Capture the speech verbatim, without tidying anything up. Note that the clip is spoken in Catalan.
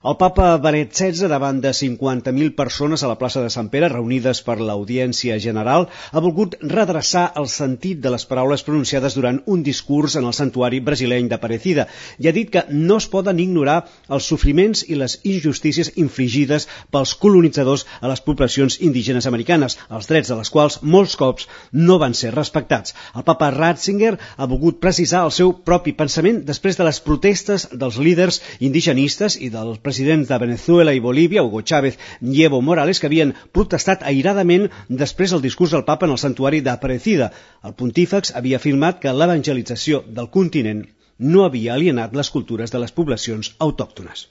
El papa Benet setze, davant de cinquanta mil persones a la plaça de Sant Pere, reunides per l'Audiència General, ha volgut redreçar el sentit de les paraules pronunciades durant un discurs en el santuari brasileny d'Aparecida i ha dit que no es poden ignorar els sofriments i les injustícies infligides pels colonitzadors a les poblacions indígenes americanes, els drets de les quals molts cops no van ser respectats. El papa Ratzinger ha volgut precisar el seu propi pensament després de les protestes dels líders indigenistes i del president presidents de Venezuela i Bolívia, Hugo Chávez i Evo Morales, que havien protestat airadament després del discurs del papa en el santuari d'Aparecida. El pontífex havia afirmat que l'evangelització del continent no havia alienat les cultures de les poblacions autòctones.